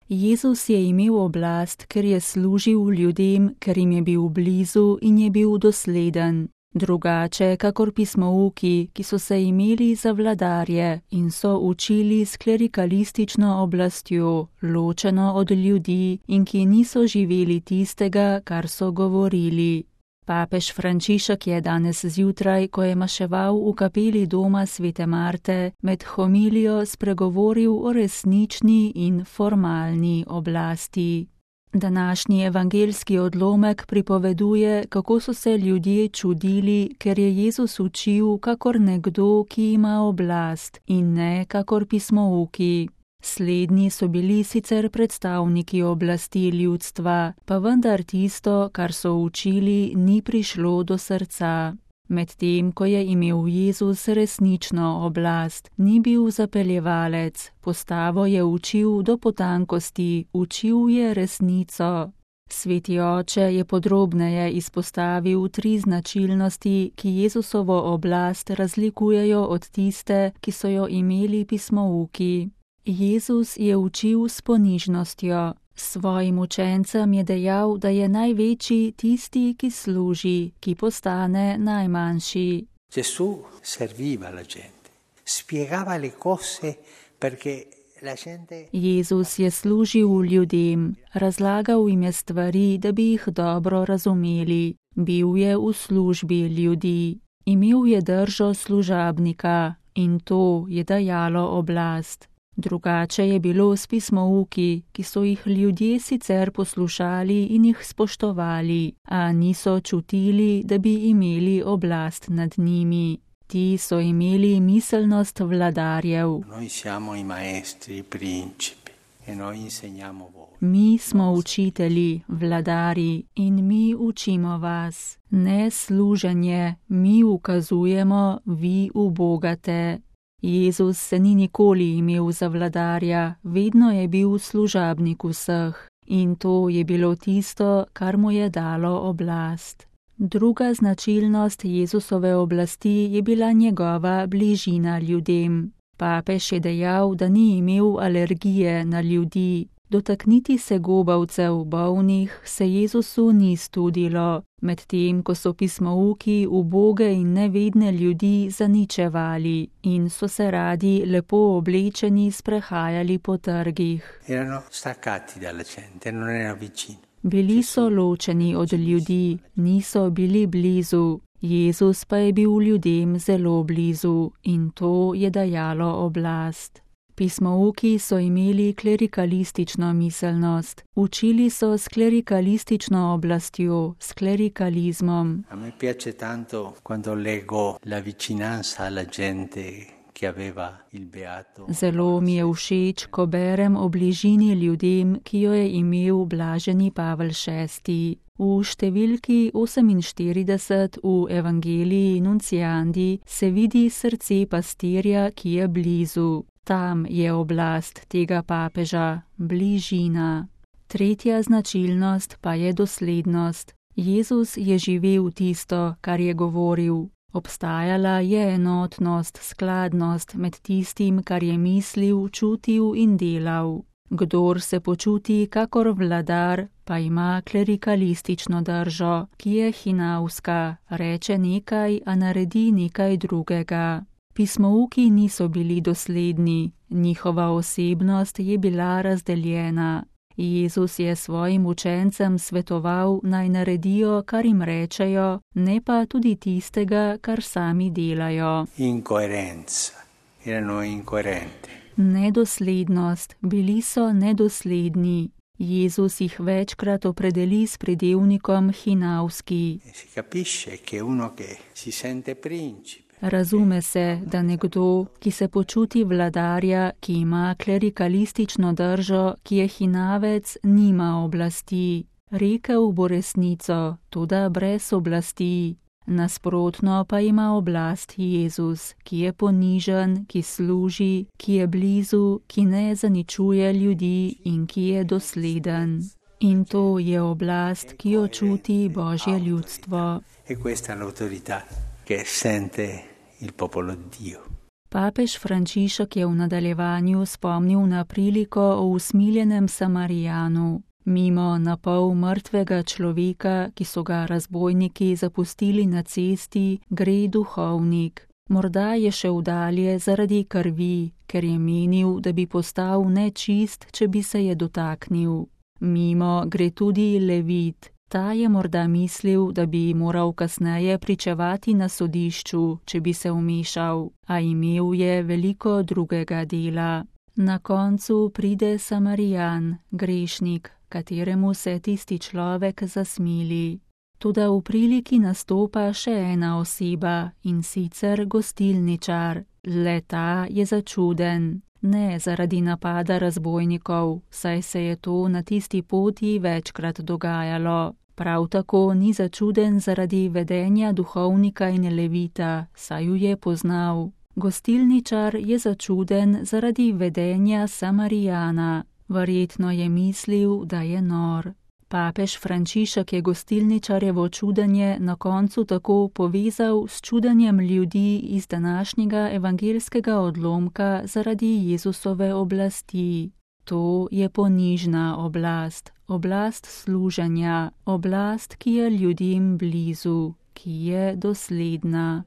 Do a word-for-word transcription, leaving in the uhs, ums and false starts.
Jezus je imel oblast, ker je služil ljudem, ker jim je bil blizu in je bil dosleden. Drugače, kakor pismouki, ki so se imeli za vladarje in so učili s klerikalistično oblastjo, ločeno od ljudi in ki niso živeli tistega, kar so govorili. Papež Frančišek je danes zjutraj, ko je maševal v kapeli doma svete Marte, med homilijo spregovoril o resnični in formalni oblasti. Današnji evangeljski odlomek pripoveduje, kako so se ljudje čudili, ker je Jezus učil kakor nekdo, ki ima oblast, in ne kakor pismouki. Slednji so bili sicer predstavniki oblasti ljudstva, pa vendar tisto, kar so učili, ni prišlo do srca. Medtem, ko je imel Jezus resnično oblast, ni bil zapeljevalec, postavo je učil do potankosti, učil je resnico. Sveti oče je podrobneje izpostavil tri značilnosti, ki Jezusovo oblast razlikujejo od tiste, ki so jo imeli pismouki. Jezus je učil s ponižnostjo. Svojim učencem je dejal, da je največji tisti, ki služi, ki postane najmanjši. Gesù serviva la gente, spiegava le cose perché la gente... Jezus je služil ljudem, razlagal jim je stvari, da bi jih dobro razumeli. Bil je v službi ljudi. Imel je držo služabnika in to je dajalo oblast. Drugače je bilo s pismouki, ki so jih ljudje sicer poslušali in jih spoštovali, a niso čutili, da bi imeli oblast nad njimi. Ti so imeli miselnost vladarjev. Noi siamo i maestri, i principi, e noi insegniamo voi. Mi smo učitelji, vladari in mi učimo vas. Ne služenje, mi ukazujemo, vi ubogate. Jezus se ni nikoli imel za vladarja, vedno je bil služabnik vseh in to je bilo tisto, kar mu je dalo oblast. Druga značilnost Jezusove oblasti je bila njegova bližina ljudem. Papež je dejal, da ni imel alergije na ljudi. Dotakniti se gobavcev, bolnih, se Jezusu ni studilo, medtem ko so pismouki uboge in nevedne ljudi zaničevali in so se radi lepo oblečeni sprehajali po trgih. Erano staccati dalla gente, non erano vicini. Bili so ločeni od ljudi, niso bili blizu. Jezus pa je bil ljudem zelo blizu in to je dajalo oblast. Pismouki so imeli klerikalistično miselnost, učili so s klerikalistično oblastjo, s klerikalizmom. A me piace tanto quando leggo la vicinanza alla gente che aveva il beato. Zelo mi je všeč, ko berem o bližini ljudem, ki jo je imel blaženi Pavel šesti. V številki oseminštirideset v Evangeliji Nunciandi se vidi srce pastirja, ki je blizu. Tam je oblast tega papeža, bližina. Tretja značilnost pa je doslednost. Jezus je živel tisto, kar je govoril. Obstajala je enotnost, skladnost med tistim, kar je mislil, čutil in delal. Kdor se počuti kakor vladar, pa ima klerikalistično držo, ki je hinavska, reče nekaj, a naredi nekaj drugega. Pismouki niso bili dosledni, njihova osebnost je bila razdeljena. Jezus je svojim učencem svetoval, naj naredijo, kar jim rečejo, ne pa tudi tistega, kar sami delajo. Incoerenza, erano incoerenti. Nedoslednost, bili so nedosledni. Jezus jih večkrat opredeli s pridevnikom hinavski. Si capisce che uno che si sente principe. Razume se, da nekdo, ki se počuti vladarja, ki ima klerikalistično držo, ki je hinavec, nima oblasti. Rekel bo resnico, toda brez oblasti. Nasprotno pa ima oblast Jezus, ki je ponižen, ki služi, ki je blizu, ki ne zaničuje ljudi in ki je dosleden. In to je oblast, ki jo čuti Božje ljudstvo. E questa è l'autorità che sente il popolo di Dio. Papež Frančišek je v nadaljevanju spomnil na priliko o usmiljenem Samarijanu. Mimo na pol mrtvega človeka, ki so ga razbojniki zapustili na cesti, gre duhovnik. Morda je šel dalje zaradi krvi, ker je menil, da bi postal nečist, če bi se je dotaknil. Mimo gre tudi levit. Ta je morda mislil, da bi moral kasneje pričevati na sodišču, če bi se vmešal, a imel je veliko drugega dela. Na koncu pride Samarijan, grešnik, kateremu se tisti človek zasmili. Toda v priliki nastopa še ena oseba, in sicer gostilničar. Le ta je začuden. Ne zaradi napada razbojnikov, saj se je to na tisti poti večkrat dogajalo. Prav tako ni začuden zaradi vedenja duhovnika in levita, saj ju je poznal. Gostilničar je začuden zaradi vedenja Samarijana. Verjetno je mislil, da je nor. Papež Frančišek je gostilničarjevo čudenje na koncu tako povezal s čudenjem ljudi iz današnjega evangeljskega odlomka zaradi Jezusove oblasti. To je ponižna oblast, oblast služenja, oblast, ki je ljudem blizu, ki je dosledna.